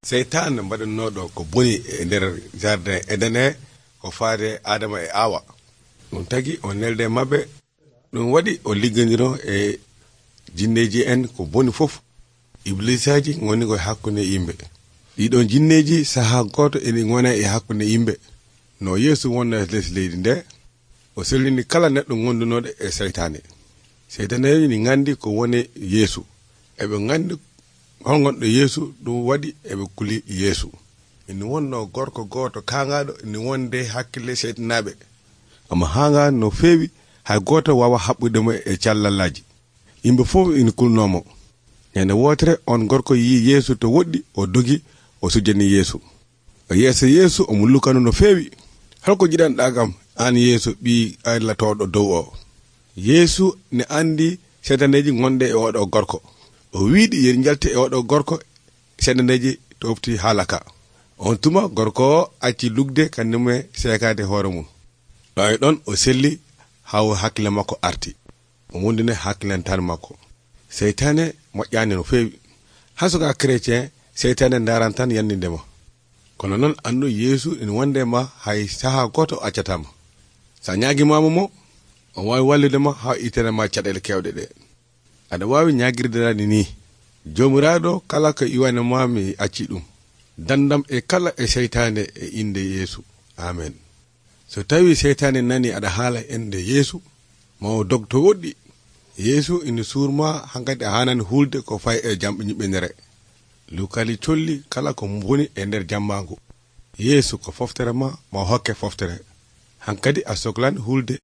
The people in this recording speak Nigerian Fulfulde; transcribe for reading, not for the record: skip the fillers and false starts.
seytan mbaɗannoɗo ko boni e nder jardin eden he ko faade adama e awa ɗum tagi o nelde mabɓe ɗum waɗi o ligganiro e jinneji en ko boni fof iblisaji goni ko hakkunde yimɓe ɗiɗon jinneji saha goto eni gona e hakkunde yimɓe no yeesu wonna les leydi nde o sellini kala neɗɗo gondunoɗo e seytaneji ni gandi ko woni yeesu eɓe gandi holgonɗo yeesu ɗum waɗi eɓe kuli yeesu ina wonno gorko goto kangaɗo ina wonde hakkille seytanaɓe amma hanga no feewi hay goto wawa haɓɓudemo e callallaji yimɓe fof ina kulnomo ñande wotere on gorko yi yeesu to woɗɗi o dogi o sujjani yeesu o yeeso yeesu omo lukano no feewi holko jiɗanɗa kam an yeesu ɓi aylatoɗo dow o yeesu ne andi seytaneji gonde e oɗo gorko o wiiɗi yen jalte e oɗo gorko seytaneji tofti haalaka on tuma gorko o acci lugde kandume sekade hoore mum ɗo e ɗon o selli haw hakkille makko arti o wondine hakkilantare makko seytane moƴƴani no feewi hasuka chrétien seytane daran tan yandindema kono noon andu yeesu ina wonde ma hay saha goto accatama sa ñaguimama mo o wawi walludema ha ittanema caɗele kewɗe ɗe aɗa wawi ñaguirdirade ni jomiraɗo kala ko iwanema mi acci ɗum dandam e kala e seytane e inde yeesu amen so tawi seytane nani aɗa haala inde yeesu ma o dog to woɗɗi yeesu ina surma hankadi a hanani hulde ko fay e jamɓe ñiɓɓinere lukali colli kala ko boni e nder jammagu yeesu ko foftere ma hokke foftere hankadi a sohlan hulde